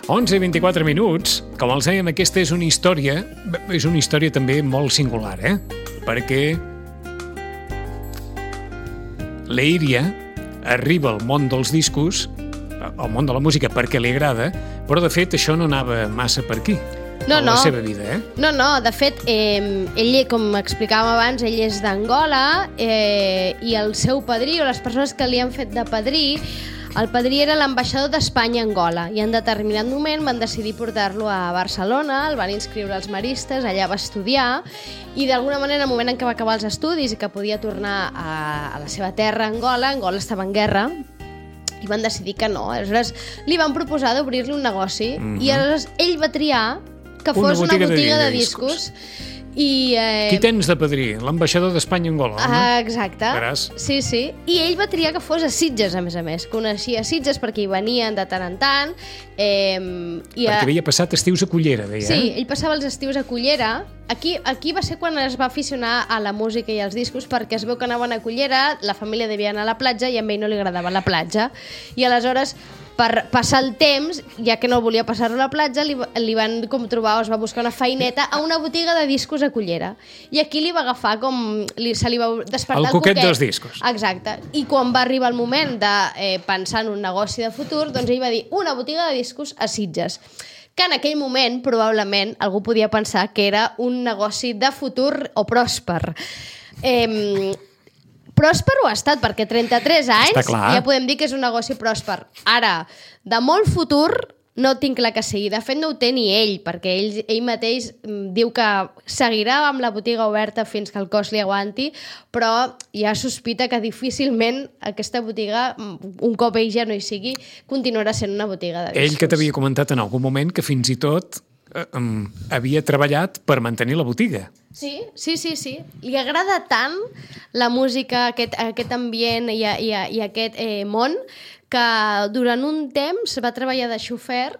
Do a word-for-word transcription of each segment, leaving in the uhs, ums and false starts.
onze i vint-i-quatre minuts. Com els dèiem, aquesta és una història, és una història també molt singular, eh? Perquè l'Eiria arriba al món dels discos, al món de la música, perquè li agrada, però de fet això no anava massa per aquí. No, a no. la seva vida, eh? No, no, de fet, eh, ell, com explicàvem abans, ell és d'Angola eh, i el seu padrí, o les persones que li han fet de padrí, el padrí era l'ambaixador d'Espanya a Angola i en determinat moment van decidir portar-lo a Barcelona, el van inscriure als maristes, allà va estudiar i d'alguna manera, en el moment en què va acabar els estudis i que podia tornar a, a la seva terra, Angola, Angola estava en guerra, i van decidir que no. Aleshores, li van proposar d'obrir-li un negoci mm-hmm. i aleshores ell va triar que una fos botiga una botiga de, de, de discos. I, eh... Qui tens de padrí? L'ambaixador d'Espanya a Angola, no? Ah, exacte. Veràs? Sí, sí. I ell va triar que fos a Sitges, a més a més. Coneixia Sitges perquè hi venien de tant en tant. Eh, i perquè a... havia passat estius a Cullera, deia. Sí, ell passava els estius a Cullera. Aquí, aquí va ser quan es va aficionar a la música i als discos, perquè es veu que anaven a Cullera, la família devia anar a la platja i a ell no li agradava la platja. I aleshores, per passar el temps, ja que no volia passar-lo a la platja, li, li van com trobar, o es va buscar una feineta a una botiga de discos a Cullera. I aquí li va agafar com... Li, se li va despertar el, el coquet coquet dels discos. Exacte. I quan va arribar el moment de eh, pensar en un negoci de futur, doncs ell va dir una botiga de discos a Sitges. Que en aquell moment, probablement, algú podia pensar que era un negoci de futur o pròsper. Eh, pròsper ho ha estat, perquè trenta-tres anys ja podem dir que és un negoci pròsper. Ara, de molt futur, no tinc clar que sigui. De fet, no ho té ni ell, perquè ell, ell mateix diu que seguirà amb la botiga oberta fins que el cos li aguanti, però ja sospita que difícilment aquesta botiga, un cop ell ja no hi sigui, continuarà sent una botiga de discos. Ell que t'havia comentat en algun moment que fins i tot eh, um, havia treballat per mantenir la botiga. Sí, sí, sí, sí. Li agrada tant la música, aquest, aquest ambient i, i, i aquest eh, món, que durant un temps va treballar de xofer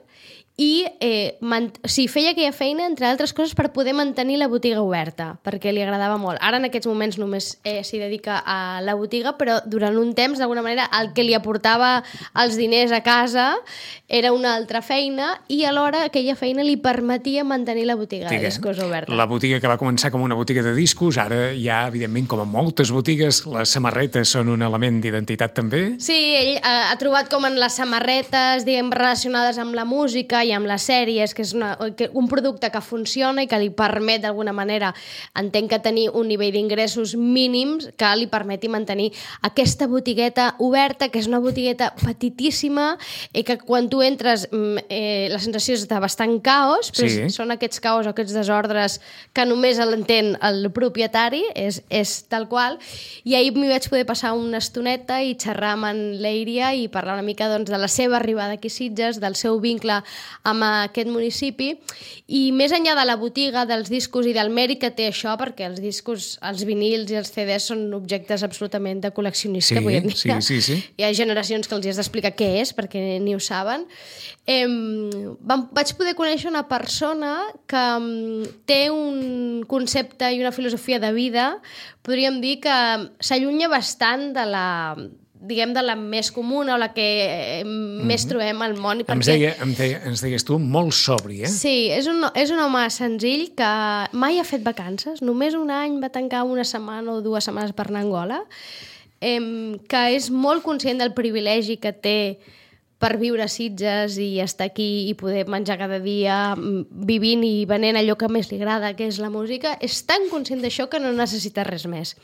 i eh, man... o sigui, feia aquella feina, entre altres coses, per poder mantenir la botiga oberta, perquè li agradava molt. Ara, en aquests moments, només eh, s'hi dedica a la botiga, però durant un temps, d'alguna manera, el que li aportava els diners a casa era una altra feina i alhora aquella feina li permetia mantenir la botiga Digue, de discos oberta. La botiga que va començar com una botiga de discos, ara ja, evidentment, com a moltes botigues, les samarretes són un element d'identitat també. Sí, ell ha, ha trobat com en les samarretes, diguem, relacionades amb la música i amb les sèries, que és una, que un producte que funciona i que li permet d'alguna manera, entenc que tenir un nivell d'ingressos mínims que li permeti mantenir aquesta botigueta oberta, que és una botigueta petitíssima i que quan tu entres eh, la sensació és de bastant caos, però sí. Són aquests caos o aquests desordres que només l'entén el propietari, és, és tal qual, i ahir m'hi vaig poder passar una estoneta i xerrar amb en l'Eiria i parlar una mica doncs, de la seva arribada aquí a Sitges, del seu vincle amb aquest municipi, i més enllà de la botiga, dels discos i del mèrit que té això, perquè els discos, els vinils i els ce des són objectes absolutament de col·leccionista, sí, avui en dia. Sí, sí, sí. Hi ha generacions que els has d'explicar què és, perquè ni ho saben. Eh, vam, vaig poder conèixer una persona que um, té un concepte i una filosofia de vida, podríem dir que s'allunya bastant de la... diguem, de la més comuna o la que eh, mm-hmm. més trobem al món. Perquè... Em, deia, em deia, ens deies tu, molt sobri, eh? Sí, és un, és un home senzill que mai ha fet vacances, només un any va tancar una setmana o dues setmanes per anar a Angola, eh, que és molt conscient del privilegi que té per viure a Sitges i estar aquí i poder menjar cada dia vivint i venent allò que més li agrada, que és la música, és tan conscient d'això que no necessita res més.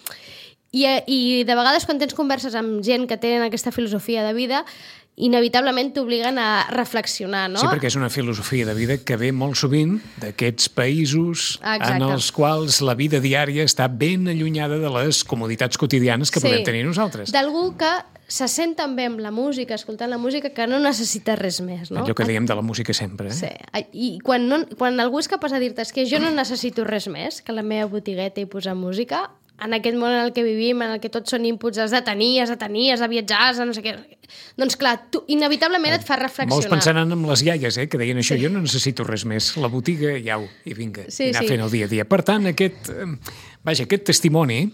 I, I de vegades quan tens converses amb gent que tenen aquesta filosofia de vida, inevitablement t'obliguen a reflexionar, no? Sí, perquè és una filosofia de vida que ve molt sovint d'aquests països Exacte. En els quals la vida diària està ben allunyada de les comoditats quotidianes que sí. Podem tenir nosaltres. D'algú que se sent també amb la música, escoltant la música, que no necessita res més, no? Allò que dèiem de la música sempre, eh? Sí, i quan, no, quan algú és capaç de dir-te és que jo no necessito res més que la meva botigueta i posar música, en aquest món en el que vivim, en el que tots són inputs, has de tenir, has de tenir, has de viatjar, has de no sé què... Doncs clar, tu inevitablement et fa reflexionar. Molts pensaran en les iaies, eh, que deien això, sí. Jo no necessito res més, la botiga, i au, i vinga, sí, i anar sí. fent el dia a dia. Per tant, aquest, vaja, aquest testimoni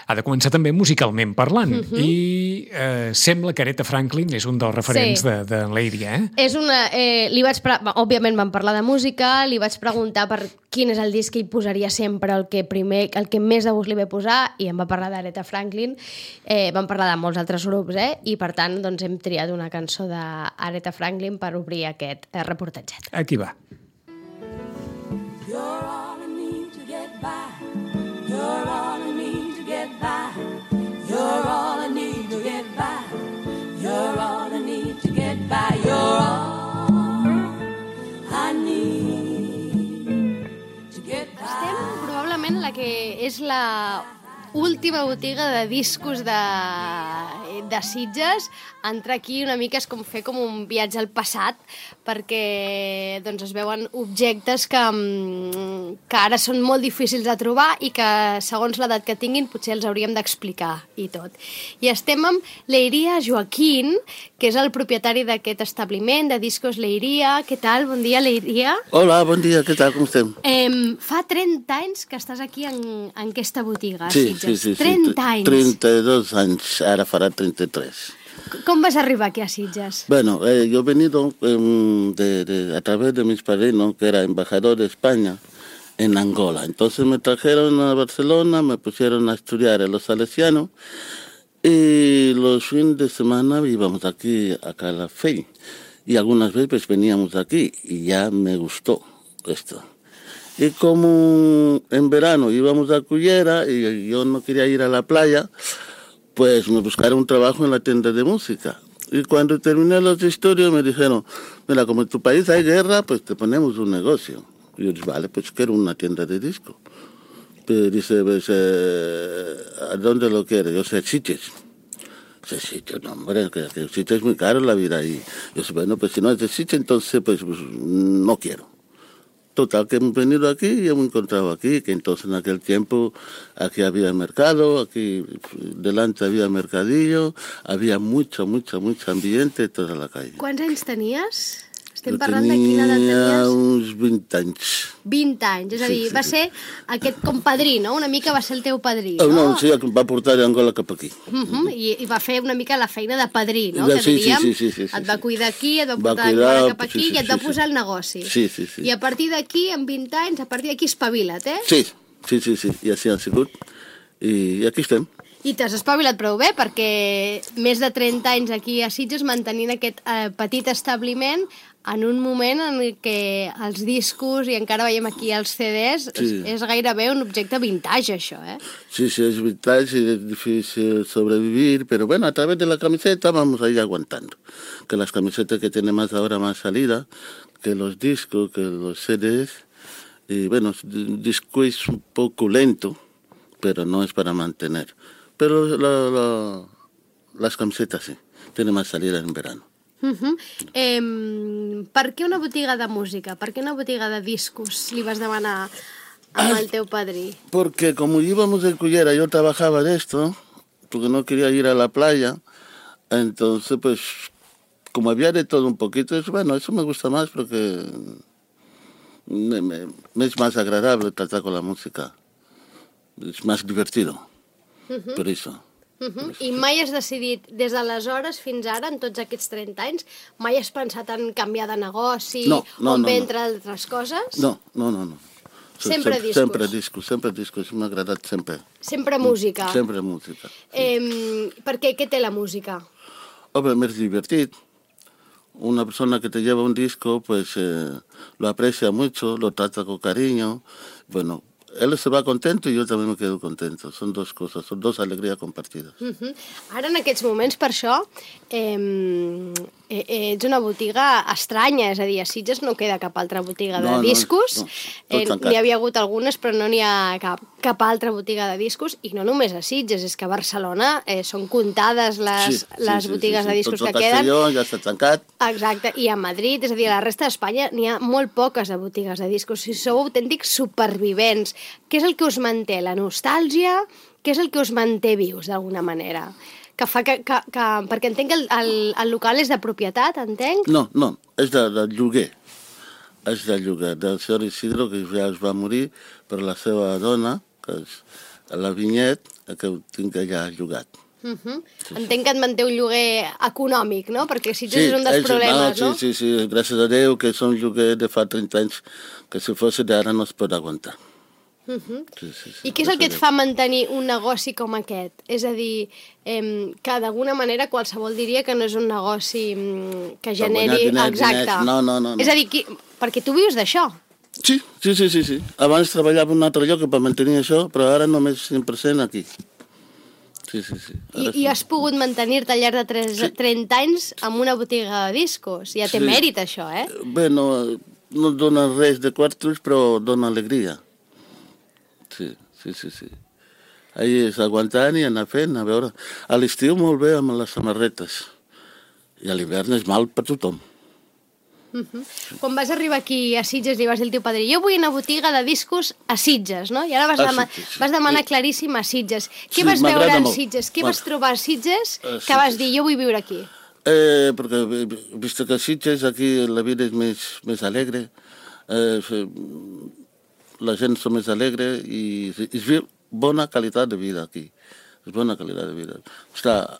ha de començar també musicalment parlant. Mhm. I eh, sembla que Aretha Franklin és un dels referents Sí. de, de Leiria, eh? És una... Eh, li vaig pre... Òbviament vam parlar de música, li vaig preguntar per quin és el disc que ell posaria sempre, el que primer, el que més de gust li ve posar, i em va parlar d'Aretha Franklin. Eh, vam parlar de molts altres grups, eh? I per tant, doncs, hem triat una cançó d'Aretha Franklin per obrir aquest eh, reportatget. Aquí va. You're all I need to get by. You're all I need to get by. You're all I need to get by. You're all I need to get by. You're all I need to get by. Estem probablement la que és la última botiga de discos de, de Sitges. Entrar aquí una mica és com fer com un viatge al passat, perquè doncs, es veuen objectes que, que ara són molt difícils de trobar i que, segons l'edat que tinguin, potser els hauríem d'explicar i tot. I estem amb Leiria Joaquín, que és el propietari d'aquest establiment de Discos Leiria. Què tal? Bon dia, Leiria. Hola, bon dia, què tal, com estem? Eh, fa trenta anys que estàs aquí en, en aquesta botiga, a Sí, Sitges. sí, sí, sí. trenta anys. treinta-dos anys, ara farà treinta-tres. Com vas arribar aquí a Sitges? Bueno, eh, yo he venido eh, de, de, a través de mis padrinos, que era embajador de España en Angola. Entonces me trajeron a Barcelona, me pusieron a estudiar en los salesianos y los fines de semana íbamos aquí a Calafell. Y algunas veces pues, veníamos aquí y ya me gustó esto. Y como en verano íbamos a Cullera y yo no quería ir a la playa, pues me buscaron un trabajo en la tienda de música. Y cuando terminé los estudios me dijeron, mira, como en tu país hay guerra, pues te ponemos un negocio. Y yo dije, vale, pues quiero una tienda de disco. Pero dice, pues, eh, ¿a dónde lo quieres? Yo sé, Sitges. Dice, Sitges, no, hombre, que, que Sitges es muy caro la vida ahí. Yo sé, bueno, pues si no es de Sitges, entonces pues, pues no quiero. Total, que hemos venido aquí y hemos encontrado aquí, que entonces en aquel tiempo aquí había mercado, aquí delante había mercadillo, había mucho, mucho, mucho ambiente toda la calle. Quants anys tenies? Estem Jo parlant de quina edat tenia tenies? uns vint anys. vint anys, és a dir, Sí, sí, va sí. ser aquest compadrí, no? Una mica va ser el teu padrí, Oh, no? no, sí, em va portar d'Angola cap aquí. Uh -huh. I, I va fer una mica la feina de padrí, no? Ja, Que sí, sí, diríem, sí, sí, sí, sí, et va sí. cuidar aquí, et va Va portar cuidar, d'Angola cap sí, aquí sí, i et sí, va sí. posar el negoci. Sí, sí, sí. I a partir d'aquí, amb vint anys, a partir d'aquí espavila't, eh? Sí, sí, sí, sí, i així ha sigut. I aquí estem. I t'has espavilat prou bé, perquè més de trenta anys aquí a Sitges mantenint aquest eh, petit establiment en un moment en què els discos, i encara veiem aquí els C Ds, Sí. és, és gairebé un objecte vintage, això, eh? Sí, sí, es vital, sí, es difícil sobrevivir, pero bueno, a través de la camiseta vamos a ir aguantando. Que las camisetas que tienen más ahora más salida, que los discos, que los C Ds, y bueno, el disco es un poco lento, pero no es para mantener. Pero la, la, las camisetas sí, tienen más salida en verano. Uh -huh. eh, per què una botiga de música? Per què una botiga de discos li vas demanar amb Ah, el teu padrí? Porque como íbamos en Cullera, yo trabajaba de esto, porque no quería ir a la playa, entonces pues como había de todo un poquito, es, bueno, eso me gusta más porque me, me, me es más agradable tratar con la música, es más divertido, Uh-huh. por eso. Uh -huh. I mai has decidit, des d'aleshores fins ara, en tots aquests trenta anys, mai has pensat en canviar de negoci No, no, o en no, bé no. entre altres coses? No, no, no, no. Sempre Sem- discos. Sempre discos, sempre discos, m'ha agradat sempre. Sempre música. Sempre música. Eh, per què? Què té la música? Hombre, me es divertido. Una persona que te lleva un disco, pues eh, lo aprecia mucho, lo trata con cariño. Bueno, él se va contento y yo también me quedo contento. Son dos cosas, son dos alegrías compartidas. Uh -huh. Ara, en aquests moments, per això, eh, eh, ets una botiga estranya, és a dir, a Sitges no queda cap altra botiga de No, no, discos. no, tot eh, tancat. n'hi havia hagut algunes, però no n'hi ha cap, cap altra botiga de discos, i no només a Sitges, és que a Barcelona eh, són comptades les, les botigues de discos Tot que queden. Castelló ja està tancat. Exacte, i a Madrid, és a dir, a la resta d'Espanya n'hi ha molt poques de botigues de discos. Si sou autèntics supervivents, què és el que us manté? La nostàlgia? Què és el que us manté vius, d'alguna manera? Que fa que, que, que... Perquè entenc que el, el, el local és de propietat, entenc? No, no, és de, de lloguer. És de lloguer, del senyor Isidro, que ja es va morir per la seva dona, que es, a la Vinyet, que ho tinc allà llogat. Uh -huh. sí, Entenc que et manté un lloguer econòmic, no? Perquè Sitges sí, és un dels ells, problemes, no? no? Sí, sí, sí, gràcies a Déu que és un lloguer de fa trenta anys que si fos d'ara no es pot aguantar. Uh -huh. sí, sí, sí, I què és el que et fa mantenir un negoci com aquest? És a dir, eh, que d'alguna manera qualsevol diria que no és un negoci mm, que generi... diners, Exacte. diners. No, no, no, no. És a dir, qui... perquè tu vius d'això. Sí, sí, sí, sí, sí. Abans treballava en un altre lloc per mantenir això, però ara només cent per cent aquí. Sí, sí, sí. I, I has pogut mantenir-te al llarg de tres, sí. trenta anys amb una botiga de discos. Ja té Sí. mèrit, això, eh? Bé, no, no dona res de quartos, però dona alegria. Sí, sí, sí, sí. Ahí és aguantant i anar fent, a veure... A l'estiu molt bé amb les samarretes. I a l'hivern és mal per tothom. Uh -huh. Quan vas arribar aquí a Sitges li vas dir al teu padrí, jo vull una botiga de discos a Sitges, no? I ara vas, A dema Sitges, sí. vas demanar claríssim a Sitges. Què Sí, vas veure m'agrada a molt. Sitges? Què Bueno. vas trobar a Sitges A que vas Sitges. dir, jo vull viure aquí? Eh, perquè, vist que a Sitges aquí la vida és més, més alegre, eh, la gent és més alegre i es viu bona qualitat de vida aquí. És bona qualitat de vida. Està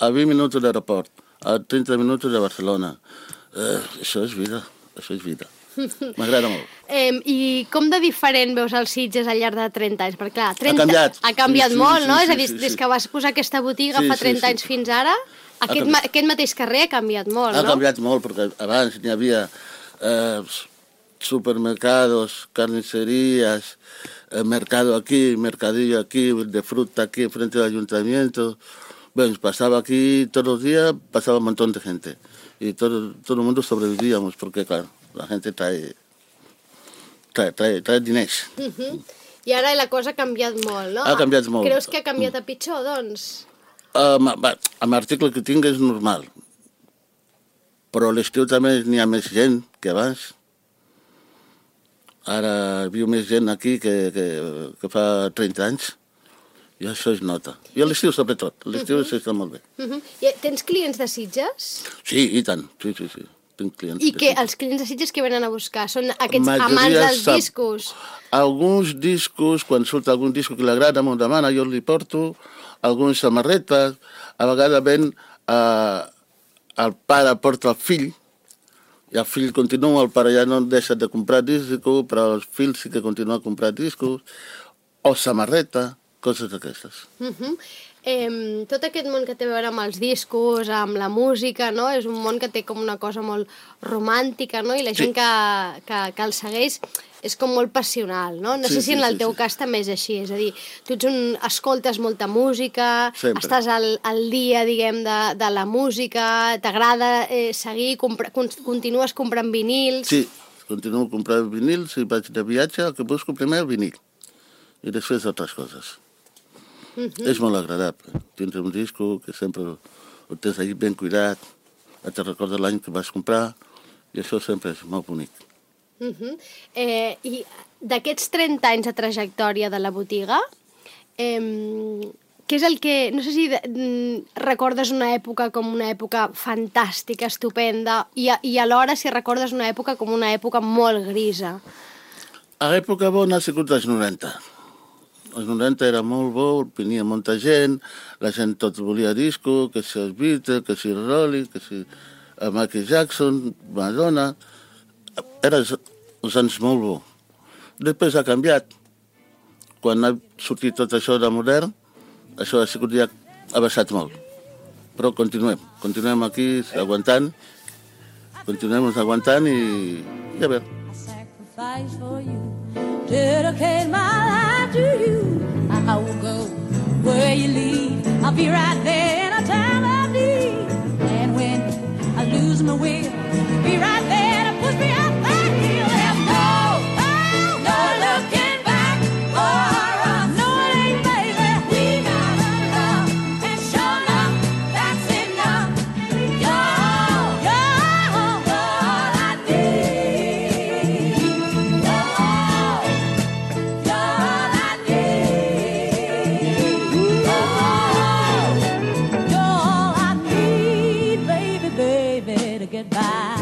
a vint minuts de l'aeroport, a trenta minuts de Barcelona. Eh, això és vida, això és vida. M'agrada molt. Eh, I com de diferent veus els Sitges al llarg de trenta anys? Perquè clar, trenta... Ha canviat. Ha canviat Sí, sí, molt, sí, no? sí, És a dir, sí, sí. des que vas posar aquesta botiga Sí, fa sí, trenta sí. anys fins ara, aquest, canviat. ma aquest mateix carrer ha canviat molt, Ha no? canviat molt, perquè abans n'hi havia eh, supermercados, carnicerías, eh, mercado aquí, mercadillo aquí, de fruta aquí, frente al ayuntamiento. Bueno, pasaba aquí todos los días, pasaba un montón de gente. Y todo, todo el mundo sobrevivíamos, porque claro, la gente trae, trae, trae, trae diners. Uh -huh. I ara la cosa ha canviat molt, no? Ha canviat molt. Creus que ha canviat a pitjor, doncs? Um, amb l'article que tinc és normal, però a l'estiu també n'hi ha més gent que abans. Ara viu més gent aquí que, que, que fa trenta anys, i això es nota. I a l'estiu sobretot, a l'estiu uh -huh. s'està molt bé. Uh -huh. I tens clients de Sitges? Sí, i tant, sí, sí, sí. Tinc clients. I de que Sitges. els clients de Sitges que venen a buscar? Són aquests Majoria amants dels sap- discos? Alguns discos, quan surt algun disco que li agrada, m'ho demana, jo li porto, alguns samarretes, a vegades ven, eh, el pare porta el fill, i el fill continua, el pare ja no deixa de comprar discos, però el fill sí que continua comprant discos, o samarreta, coses d'aquestes. Uh -huh. eh, tot aquest món que té a veure amb els discos, amb la música, no? És un món que té com una cosa molt romàntica, no? I la gent Sí. que, que, que el segueix és com molt passional, no? No Sí, sé si sí, en el sí, teu sí. cas també és així, és a dir, tu ets un, escoltes molta música, Sempre. estàs al, al dia, diguem, de, de la música, t'agrada eh, seguir, compra, con, continues comprant vinils... Sí, continuo comprant vinils, i vaig de viatge, el que busco primer el vinil, i després altres coses. Uh -huh. És molt agradable. Tindre un disco que sempre ho tens allà ben cuidat, et recorda l'any que vas comprar, i això sempre és molt bonic. Uh -huh. eh, I d'aquests trenta anys de trajectòria de la botiga, eh, què és el que... No sé si de, recordes una època com una època fantàstica, estupenda, i, a, i alhora si recordes una època com una època molt grisa. A l'època bona ha sigut els noranta. Els noranta era molt bo, venia molta gent, la gent tot volia disco, que si els Beatles, que si Rolling, que si Michael Jackson, Madonna... Era els anys molt bo. Després ha canviat. Quan ha sortit tot això de modern, això ha sigut ja ha baixat molt. Però continuem, continuem aquí aguantant, continuem aguantant i, i a veure. Sacrifice for you, dedicate my life to you. I will go where you lead. I'll be right there in a time of need. And when I lose my will, you'll be right there to push me up that hill. There's no, oh, no looking back or up. No, it ain't, baby. We gotta love and show love. That's enough. You're all, you're all, all I need. You're all, you're all I need. You're all, you're all I need, baby, baby, to get by.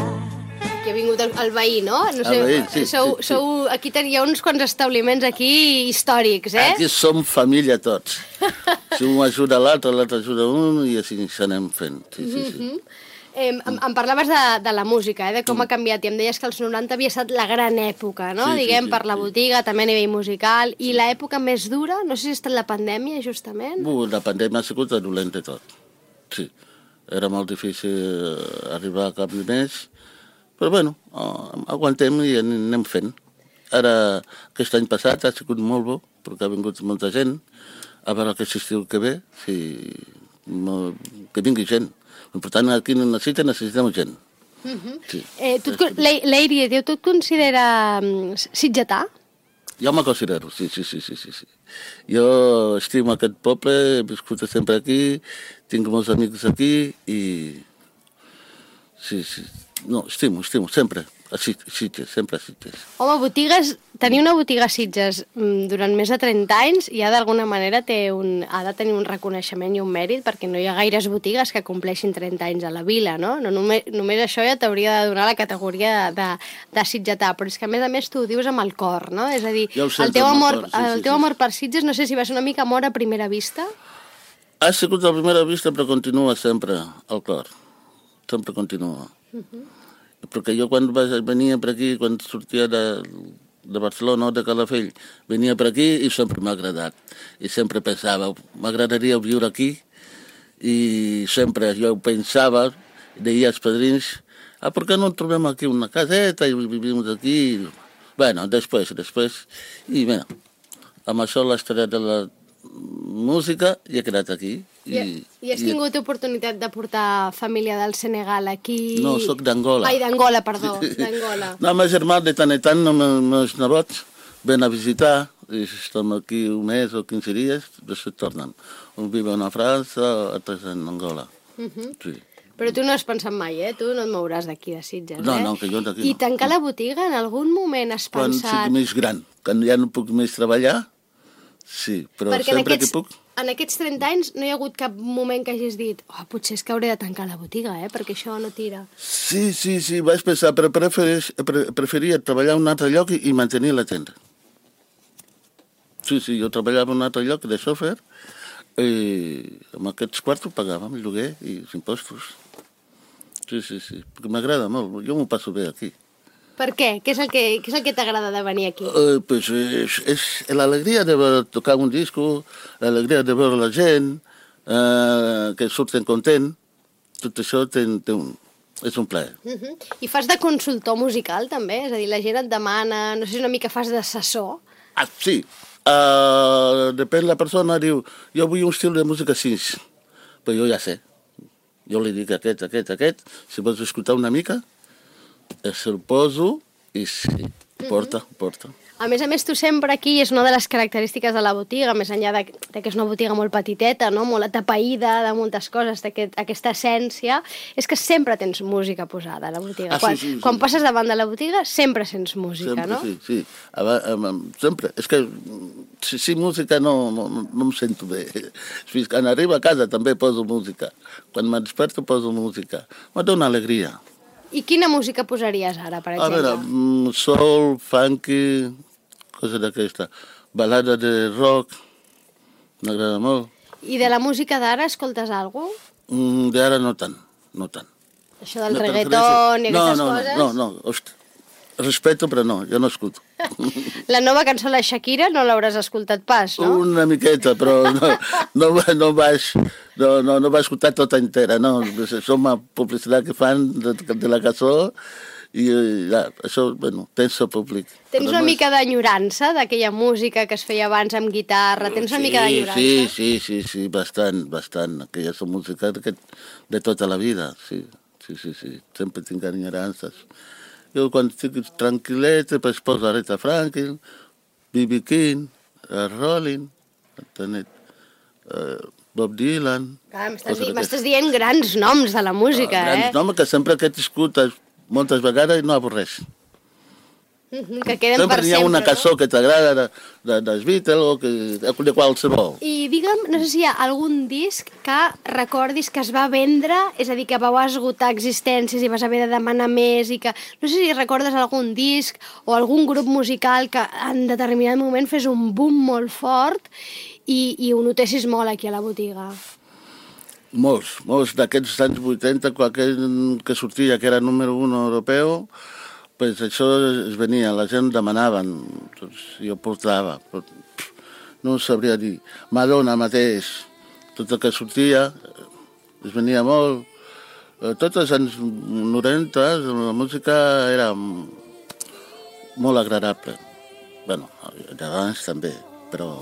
Aquí ha vingut el, el veí, no? no sé, El veí, sí, sou, sí, sí. sou, aquí tenia uns quants establiments aquí històrics, eh? Aquí som família tots. Si un ajuda l'altre, l'altre ajuda un, i així s'anem fent. Sí, sí, sí. Eh, em, em parlaves de, de la música, eh, de com ha canviat, i em deies que els noranta havia estat la gran època, no? Sí, sí, Diguem, sí, per la sí. botiga, també a nivell musical, i l'època més dura, no sé si ha estat la pandèmia, justament? Uh, la pandèmia ha sigut dolent de tot. Sí, era molt difícil arribar a cap de mes, però bueno, uh, aguantem i anem fent. Ara, aquest any passat ha sigut molt bo, perquè ha vingut molta gent, a veure aquest estiu que ve, si, que vingui gent. Per tant, aquí no necessita, necessitem gent. Uh -huh. Sí. eh, tu, Leiria, tu et considera um, sitgetà? Jo me considero, sí, sí, sí, sí, sí, sí. Jo estimo aquest poble, he viscut sempre aquí, tinc molts amics aquí i... Sí, sí, no, estimo, estimo, sempre, a Sitges, sempre a Sitges. Home, botigues, tenir una botiga a Sitges durant més de trenta anys ja d'alguna manera té un, ha de tenir un reconeixement i un mèrit, perquè no hi ha gaires botigues que compleixin trenta anys a la vila, no? no només, només això ja t'hauria de donar la categoria de, de sitgetà, però és que a més a més tu ho dius amb el cor, no? És a dir, Ja ho el sento teu, amb el amor, cor, sí, sí, el teu sí. amor per Sitges, no sé si va ser una mica amor a primera vista? Ha sigut a primera vista, però continua sempre al cor. Sempre continua. Uh-huh. Perquè jo quan venia per aquí, quan sortia de, de Barcelona o de Calafell, venia per aquí i sempre m'ha agradat. I sempre pensava, m'agradaria viure aquí, i sempre jo pensava, deia als padrins, ah, per què no trobem aquí una caseta i vivim aquí? Bueno, després, després, i bé, amb això l'història de la música i he quedat aquí. I, I has tingut i... oportunitat de portar família del Senegal aquí? No, sóc d'Angola. Ai, d'Angola, perdó, d'Angola. No, ma germà de tant en tant, no, meus nebots, ven a visitar, i estem aquí un mes o quinze dies, després tornen. Un viuen a França, altres en Angola. Uh -huh. Sí. Però tu no has pensat mai, eh? Tu no et mouràs d'aquí de Sitges, no, eh? No, que jo d'aquí I no. tancar la botiga, en algun moment has Quan pensat... sigui més gran, quan ja no puc més treballar, sí, però Perquè sempre aquests, que puc... en aquests trenta anys no hi ha hagut cap moment que hagis dit oh, potser és que hauré de tancar la botiga, eh? Perquè això no tira. Sí, sí, sí, vaig pensar, però prefereix, pre, preferia treballar en un altre lloc i, i mantenir la tenda. Sí, sí, jo treballava en un altre lloc de xòfer i amb aquests quartos pagàvem el lloguer i els impostos. Sí, sí, sí, perquè m'agrada molt, jo m'ho passo bé aquí. Per què? Què és el que, què és el que t'agrada de venir aquí? Uh, pues és, és l'alegria de veure, tocar un disco, l'alegria de veure la gent, uh, que surten content, tot això té, té un, és un plaer. Uh -huh. I fas de consultor musical, també? És a dir, la gent et demana, no sé si una mica fas d'assessor. Ah, sí. Uh, depèn la persona, diu, jo vull un estil de música així, però jo ja sé. Jo li dic aquest, aquest, aquest, si vols escoltar una mica, se'l poso i sí, porta, porta. A més a més, tu sempre aquí, és una de les característiques de la botiga, més enllà de, de que és una botiga molt petiteta, no? Molt atapeïda de moltes coses, d'aquest, aquesta essència, és que sempre tens música posada a la botiga. Ah, quan sí, sí, sí. quan passes davant de la botiga, sempre sents música, Sempre, no? sí, sí. Aba, um, sempre. És que si, si música no, no, no em sento bé. Fins quan arribo a casa també poso música. Quan me desperto poso música. Me dona alegria. I quina música posaries ara, per A exemple? veure, mm, soul, funky, cosa d'aquesta. Balada de rock, m'agrada molt. I de la música d'ara escoltes alguna cosa? Mm, D'ara no tant, no tant. Això del No, reggaeton i no, aquestes no, coses? No, no, no, hosti. Respeto, però no, jo no escuto. La nova cançó de la Shakira no l'hauràs escoltat pas, no? Una miqueta, però no, no, no, vaig, no, no, no vaig escoltar tota entera, no. Som una publicitat que fan de, de la cançó i ja, això, bueno, tens el públic. Tens Però una no és- mica d'enyorança d'aquella música que es feia abans amb guitarra? Tens una sí, mica d'enyorança? Sí, sí, sí, sí, bastant, bastant. Aquella és música de, de tota la vida, sí, sí, sí, sí. Sempre tinc enyorances. Jo quan estic tranquil·let, pues poso Aretha Franklin, B B King, uh, Rolling, uh, Bob Dylan... Clar, m'estàs, m'estàs dient grans noms de la música, uh, grans eh? noms que sempre que t'escoltes moltes vegades no avorreix. Mhm, que queden Sempre per hi ha sempre, una no? cançó que t'agrada de, de, dels Beatles o que, de qualsevol. I digue'm, no sé si hi ha algun disc que recordis que es va vendre, és a dir, que vau esgotar existències i vas haver de demanar més i que... No sé si recordes algun disc o algun grup musical que en determinat moment fes un boom molt fort i, i ho notessis molt aquí a la botiga. Molts, molts d'aquests anys vuitanta, qualsevol que sortia que era número un europeu, pues això es venia, la gent demanaven, doncs jo portava, però no ho sabria dir. Madonna mateix, tot el que sortia, es venia molt. Tots els anys noranta la música era molt agradable. Bé, d'abans també, però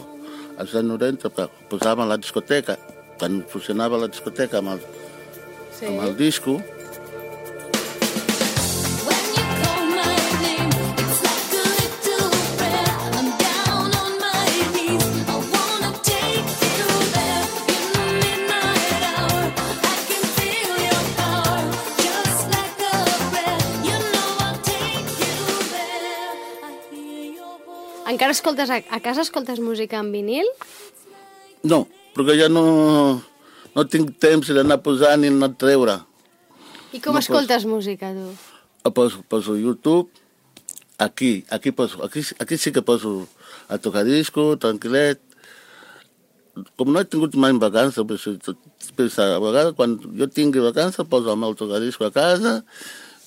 als anys noranta posàvem la discoteca, quan funcionava la discoteca amb el, sí. amb el disco. Encara escoltes, a, a casa escoltes música en vinil? No, perquè ja no, no tinc temps d'anar posant ni anar a treure. I com no escoltes poso, música, tu? Poso, poso YouTube, aquí, aquí, poso, aquí, aquí sí que poso a tocar disco, tranquil·let. Com no he tingut mai vacances, pues, a vegades quan jo tingui vacances poso el meu tocadisco a casa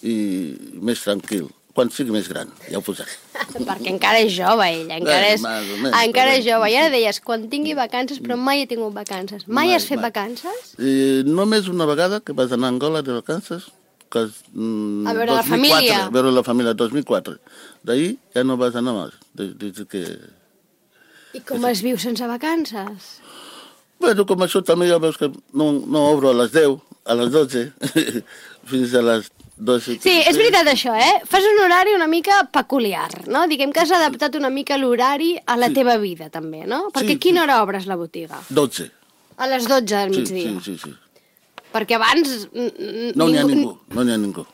i més tranquil. Quan sigui més gran, ja ho posaré. Perquè encara és jove, ella, encara és, menys, encara és jove. I ara deies, quan tingui vacances, però mai he tingut vacances. Mai, mai has fet mai. vacances? I només una vegada que vas anar a Angola de vacances, que és, mm, a veure dos mil quatre, la família. A veure la família, dos mil quatre. D'ahir ja no vas anar més, des que... I com es viu sense vacances? Bueno, com això també ja veus que no, no obro a les deu, a les dotze, fins a les dotze. Sí, és veritat això, eh? Fas un horari una mica peculiar, no? Diguem que has adaptat una mica l'horari a la sí. teva vida, també, no? Perquè sí, a quina sí. hora obres la botiga? dotze. A les dotze del sí, migdia? Sí, sí, sí. Perquè abans... No n'hi ha ningú, no n'hi ha ningú.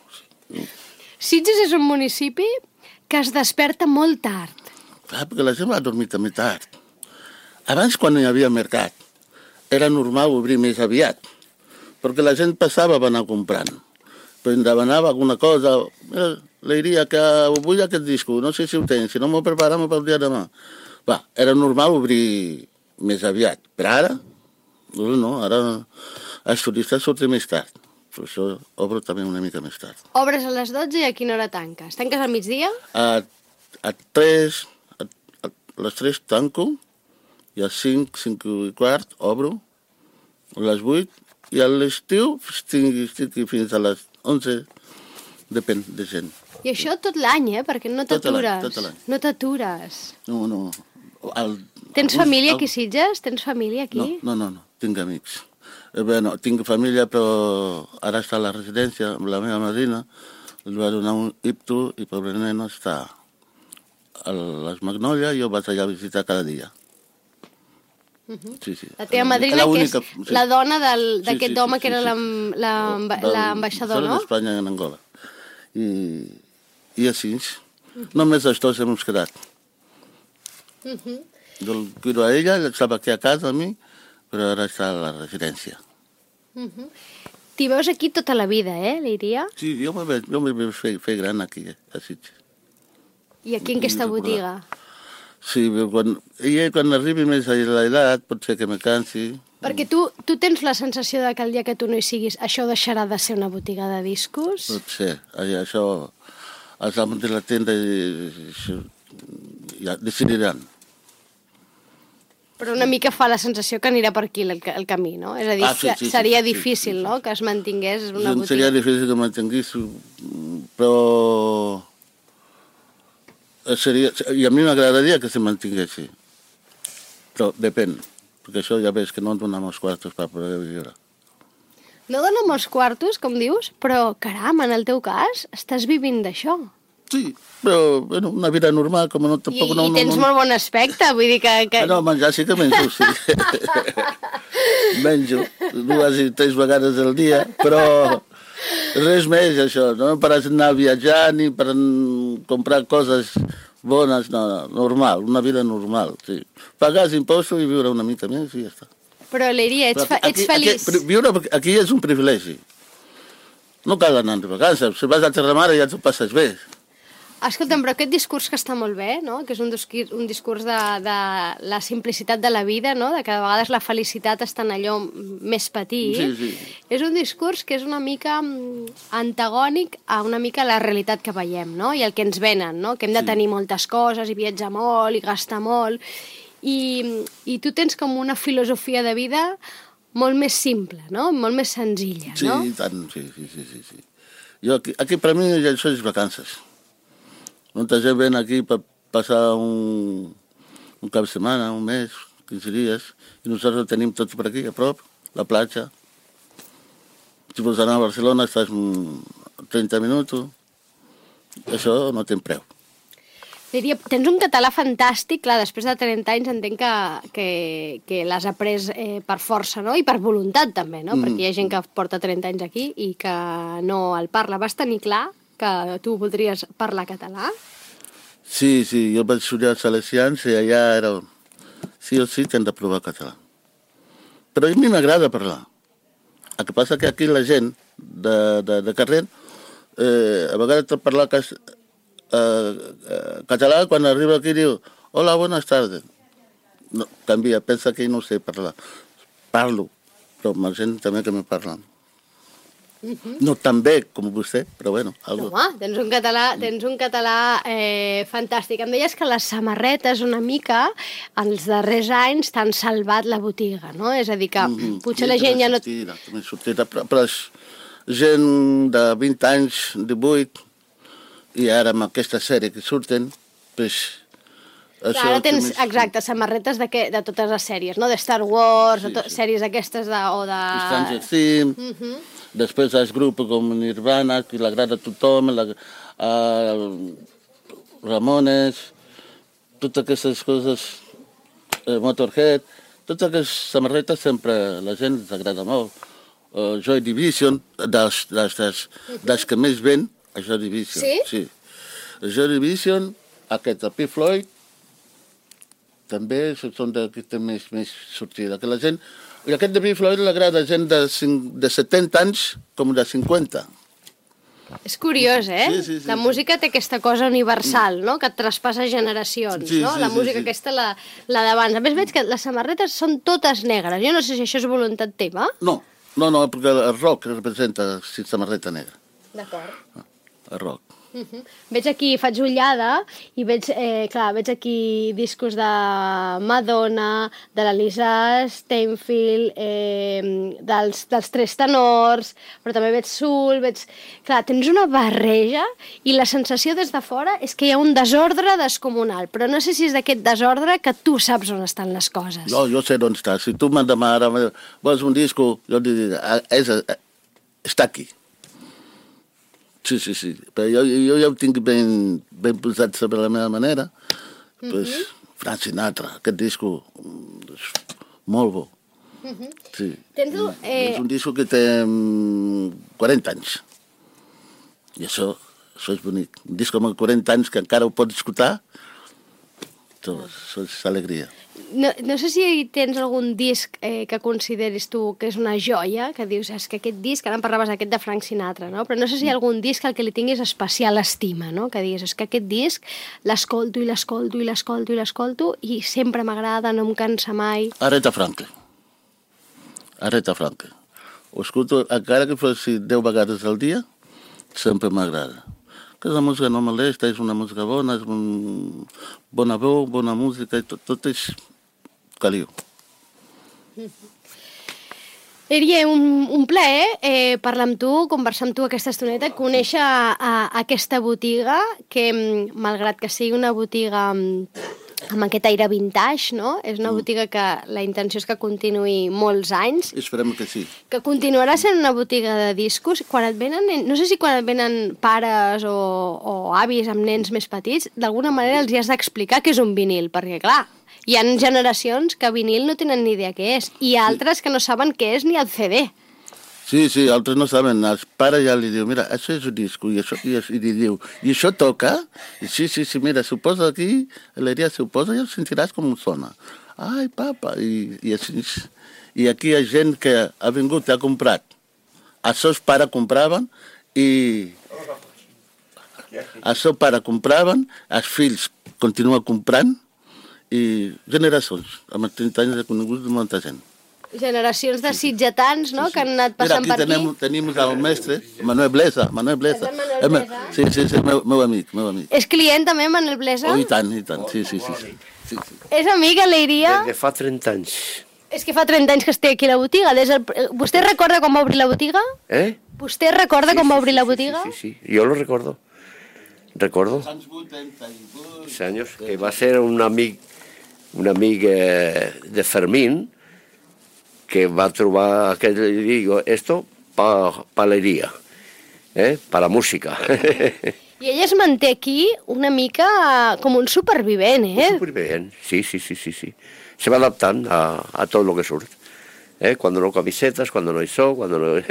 Sí. Sitges és un municipi que es desperta molt tard. Clar, perquè la gent va dormir també tard. Abans, quan hi havia mercat, era normal obrir més aviat, perquè la gent passava a anar comprant. Però em demanava alguna cosa, le diria que vull aquest disco, no sé si ho tens, si no m'ho preparem pel dia de demà. Va, era normal obrir més aviat, però ara, no, no, ara els turistes surten més tard, per això obro també una mica més tard. Obres a les dotze i a quina hora tanques? Tanques al migdia? A, a tres, a, a les tres tanco, i a cinc, cinc i quart obro, a les vuit, i a l'estiu estic, estic fins a les onze, depèn de gent. I això tot l'any, eh? Perquè no t'atures. Tot l'any. No t'atures. No, no. El, Tens alguns, família el... aquí, Sitges? Tens família aquí? No, no, no, no. Tinc amics. Eh, bueno, tinc família, però ara està a la residència amb la meva madrina. Li va donar un ictus i pobre nena està a les Magnòlies i jo vaig allà a visitar cada dia. Uh-huh. Sí, sí. La teva madrina, la que única, és sí. la dona d'aquest sí, sí, sí, home sí, que era sí, sí. l'ambaixador, no? d'Espanya en Angola. I, i així, uh-huh. només els dos hem quedat. Uh-huh. Jo el cuido a ella, estava aquí a casa a mi, però ara està a la residència. Uh-huh. T'hi veus aquí tota la vida, eh, Líria? Sí, jo me veig, jo me veig fer, fer gran aquí, a Sitges. I aquí en aquesta botiga? Sí, quan, i quan arribi més a l'edat pot ser que me cansi. Perquè tu, tu tens la sensació de que el dia que tu no hi siguis això deixarà de ser una botiga de discos? Pot ser. Això, els amos de la tenda ja decidiran. Però una mica fa la sensació que anirà per aquí el, el camí, no? És a dir, ah, sí, sí, seria sí, difícil, sí, sí, no?, que es mantingués una botiga. Seria difícil que mantingués, però... Seria, i a mi m'agradaria que se mantinguessi, però depèn, perquè això ja ves que no dona molts quartos per poder viure. No dona molts quartos, com dius, però caram, en el teu cas, estàs vivint d'això. Sí, però bueno, una vida normal, com no... Tampoc, I, no, i tens no, no, molt bon aspecte, vull dir que... que... Ah, no, menjar sí que menjo, sí. Menjo dues i tres vegades al dia, però Res més, això, no per anar a viatjar ni per comprar coses bones, no, no, normal, una vida normal, sí. Pagar els impostos i viure una mica més i ja està. Però, Leiria, ets, fa, ets aquí, feliç. Aquí, viure aquí és un privilegi. No cal anar de vacances. Si vas a Terramare ja t'ho passes bé. Escolta'm, però aquest discurs que està molt bé, no? Que és un discurs, un discurs de, de la simplicitat de la vida, no? De que a vegades la felicitat està en allò més petit. Sí, sí. És un discurs que és una mica antagònic a una mica la realitat que veiem, no? I el que ens venen, no? Que hem de Sí. tenir moltes coses i viatjar molt i gastar molt. I, I tu tens com una filosofia de vida molt més simple, no? Molt més senzilla, Sí, no? i tant, sí, sí, sí, sí, sí. Jo aquí, aquí per mi això és vacances. Molta gent ven aquí per passar un, un cap de setmana, un mes, quinze dies, i nosaltres ho tenim tot per aquí, a prop, la platja. Si vols anar a Barcelona estàs trenta minuts, això no té preu. Diria, tens un català fantàstic, clar, després de trenta anys entenc que, que, que l'has après eh, per força, no? I per voluntat també, no? Mm. Perquè hi ha gent que porta trenta anys aquí i que no el parla. Vas tenir clar que tu voldries parlar català? Sí, sí, jo vaig estudiar als Salesians i allà era... Sí o sí que hem de provar català. Però a mi m'agrada parlar. El que passa que aquí la gent de, de, de carrer eh, a vegades te parla cas, eh, eh, català quan arriba aquí diu hola, buenas tardes. No, canvia, pensa que no sé parlar. Parlo, però amb la gent també que me parlen. Uh-huh. No tan bé com vostè, però bueno. Algo. No, home, tens un català, tens un català eh, fantàstic. Em deies que les samarretes una mica els darrers anys t'han salvat la botiga, no? És a dir, que mm-hmm. potser la gent ja no... Sortida, sortida, però, però és gent de vint anys, divuit, i ara amb aquesta sèrie que surten, pues, Clar, ara tens, més... exacte, samarretes de, que, de totes les sèries, no? De Star Wars, sí, de to... sí. sèries aquestes de... o de... Stranger Things, uh-huh. Després els grups com Nirvana, que l'agrada a tothom, la, uh, Ramones, totes aquestes coses, uh, Motorhead, totes aquestes samarretes sempre la gent els agrada molt. Uh, Joy Division, dels, dels, dels, dels que més ven, a Joy Division. Sí? Sí. Joy Division, aquest, el Pink Floyd, també són de, que té més, més sortida. Que la gent, i aquest de Pink Floyd l'agrada a gent de, de setanta anys com de cinquanta. És curiós, eh? Sí, sí, sí, la música té aquesta cosa universal, no? Que et traspassa generacions, sí, no? Sí, la sí, música sí. aquesta, la, la d'abans. A més, veig que les samarretes són totes negres. Jo no sé si això és voluntat teva. No, no, no, perquè el rock representa si samarreta negra. D'acord. El rock. Uh-huh. Veig aquí, faig ullada i veig, eh, clar, veig aquí discos de Madonna, de la Lisa Steinfeld, eh, dels, dels Tres Tenors, però també veig Soul, veig... Clar, tens una barreja i la sensació des de fora és que hi ha un desordre descomunal, però no sé si és d'aquest desordre que tu saps on estan les coses. No, jo sé on està. Si tu m'han demanat, vols un disco, jo et diré, és, està aquí. Sí, sí, sí. Però jo, jo ja ho tinc ben, ben posat sobre la meva manera. Mm-hmm. Pues, Frank Sinatra, aquest disco és molt bo. Mm-hmm. Sí. Tens-ho, eh... És un disco que té quaranta anys. I això, això és bonic. Un disco amb quaranta anys que encara ho pots escoltar, això, això és alegria. No, no sé si tens algun disc eh, que consideris tu que és una joia, que dius, és que aquest disc, ara em parlaves aquest de Frank Sinatra, no? Però no sé si hi ha algun disc al que li tinguis especial estima, no? Que diguis, és que aquest disc l'escolto i l'escolto i l'escolto i l'escolto i sempre m'agrada, no em cansa mai. Aretha Franklin. Aretha Franklin. Ho escolto, encara que fossi deu vegades al dia, sempre m'agrada. Que la música no molesta, és una música bona, és un... bona veu, bona música, i tot, tot és caliu. Seria un, un plaer eh, parlar amb tu, conversar amb tu aquesta estoneta, conèixer a, a aquesta botiga, que malgrat que sigui una botiga amb aquest aire vintage, no? És una botiga que la intenció és que continuï molts anys. Esperem que sí. Que continuarà sent una botiga de discos. Quan et venen, no sé si quan et venen pares o, o avis amb nens més petits, d'alguna manera els hi has d'explicar què és un vinil, perquè clar, hi ha generacions que vinil no tenen ni idea què és, i altres que no saben què és ni el C D. Sí, sí, altres no saben. Els pares ja li diu, mira, això és un disco, i, això, i, i li diu, i això toca? I sí, sí, sí, mira, s'ho posa aquí, l'Eria s'ho posa i ho sentiràs com sona. Ai, papa, i, i així... I aquí hi ha gent que ha vingut i ha comprat. Els seus pares compraven i... Els seus pares compraven, els fills continuen comprant i generacions. Amb els trenta anys he conegut molta gent. Generacions de sitgetans, no?, que han anat passant Mira, per aquí. Tenim, tenim el mestre, Manuel Blesa. Manuel Blesa. És el Manuel Blesa? Sí, sí, sí, meu, meu amic, meu amic. És client també, Manuel Blesa? Oh, i tant, i tant, sí, sí, sí. sí. sí, sí. És amic, a l'Eiria? Des de fa trenta anys. És que fa trenta anys que es té aquí a la botiga. Des del... Vostè recorda quan va obrir la botiga? ¿Eh? Vostè recorda Sí, quan va sí, obrir sí, la sí, botiga? Sí, sí, sí, yo lo recuerdo. Recuerdo. Hace años que va a ser un amic, un amic eh, de Fermín, que va trobar aquell i digo, esto pa, pa l'Eiria, eh? Pa la música. I ell es manté aquí una mica com un supervivent, eh? Súper bien, sí, sí, sí, sí, sí. Se va adaptant a, a todo lo que surt. ¿Eh? Cuando no camisetas, cuando no hay show, cuando no...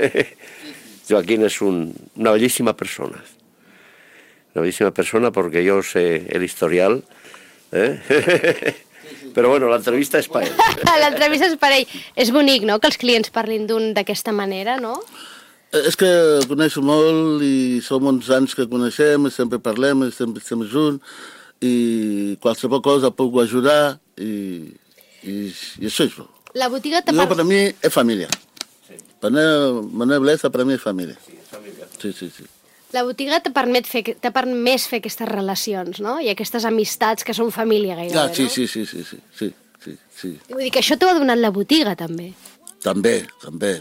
Joaquín es un, una bellísima persona. Una bellísima persona porque yo sé el historial. ¿Eh? Però bueno, l'entrevista és per ell. L'entrevista és per ell. És bonic, no?, que els clients parlin d'un d'aquesta manera, no? És que coneixo molt i som uns anys que coneixem, i sempre parlem, i sempre estem junts, i qualsevol cosa puc ajudar, i, i, i això és bo. La botiga te Jo, parla... per a mi, és família. Manuel, Manuel Blesa, per a mi, és família. Sí, és família. Sí, sí, sí. La botiga te permet fer, te permès fer aquestes relacions, no? I aquestes amistats que són família gairebé, Ah, sí, no? sí, sí, sí, sí, sí, sí, sí. Vull dir que això t'ho ha donat la botiga, també. També, també.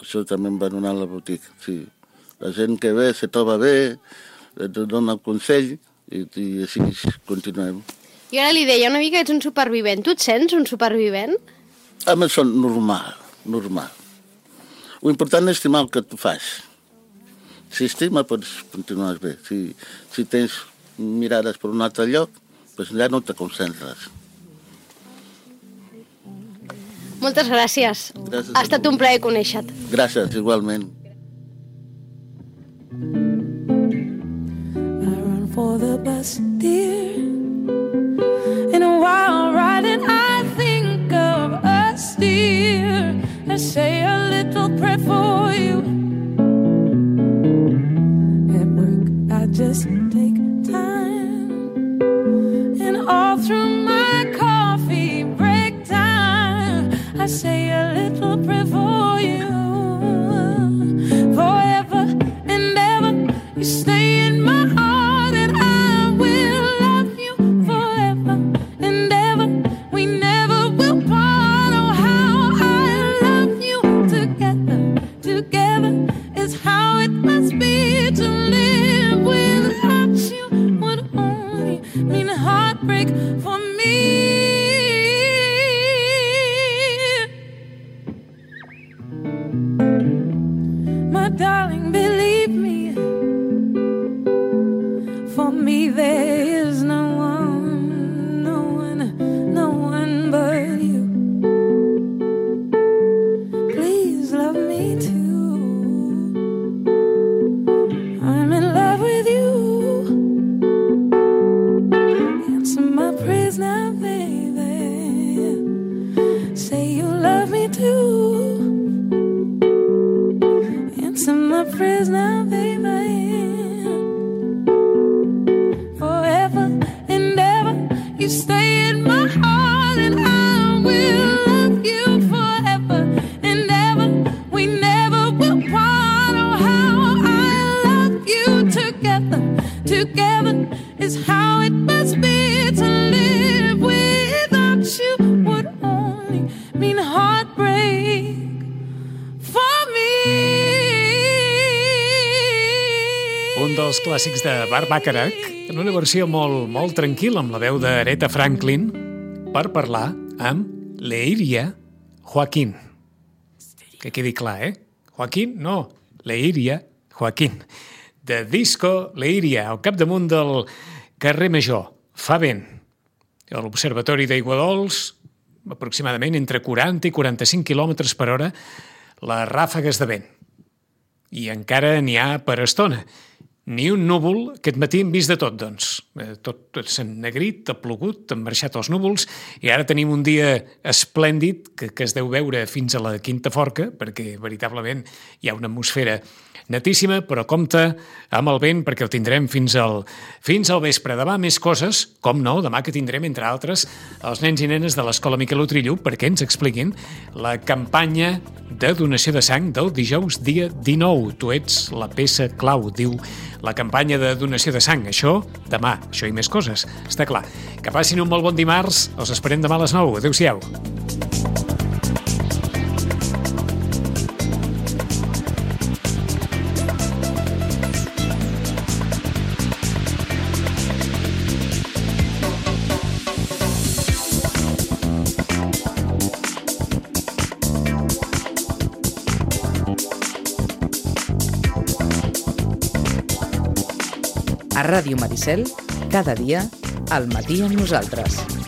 Això també em va donar la botiga, sí. La gent que ve se troba bé, et dona el consell i, i així continuem. I ara li deia una mica que ets un supervivent. Tu et sents un supervivent? A mi són normal, normal. Lo important és estimar el que tu fas. Si estima, pots continuar bé. Si, si tens mirades per un altre lloc, doncs ja no te concentres. Moltes gràcies. Gràcies Ha a estat tu. un plaer conèixer-te. Gràcies, igualment. I run for the bus, dear. And while riding, I think of us, dear. I say a little prayer for you. At work, I just take time. And all through my coffee break time, I say a little prayer for you. Forever and ever, you stay in my heart, and I will love you forever and ever. We never will part. Oh, how I love you. Together, together is how it must be. To live without you would only mean heartbreak for me. My darling, believe me, for me there is no one, no one, no one but you. Please love me too. I'm in love with you. Answer my prayers now, baby. Say you love me too. Answer my prayers now, baby. Forever and ever, you stay in my heart, and I will love you forever and ever. We never will part. Oh, how I love you. Together, together is how it must be. To live without you would only mean heartbreak for me. Un dels clàssics de Burt Bacharach, en una versió molt, molt tranquil·la, amb la veu d'Aretha Franklin, per parlar amb l'Eiria Joaquín. Que quedi clar, eh? Joaquín, no, l'Eiria Joaquín. De Disco l'Eiria, al capdamunt del carrer Major. Fa vent. A l'Observatori d'Aiguadols, aproximadament entre quaranta i quaranta-cinc quilòmetres per hora, les ràfegues de vent. i encara n'hi ha per estona. Ni un núvol, aquest matí hem vist de tot, doncs. Tot, tot s'ha ennegrit, ha plogut, han marxat els núvols, i ara tenim un dia esplèndid que, que es deu veure fins a la Quinta Forca, perquè veritablement hi ha una atmosfera netíssima, però compte amb el vent perquè el tindrem fins al, fins al vespre. Demà més coses, com no, demà que tindrem, entre altres, els nens i nenes de l'Escola Miquel Utrillo perquè ens expliquin la campanya de donació de sang del dijous dia dinou. Tu ets la peça clau, diu la campanya de donació de sang. Això, demà, això i més coses, està clar. Que passin un molt bon dimarts, els esperem demà a les nou. Adéu-siau. A Ràdio Maricel, cada dia, al matí amb nosaltres.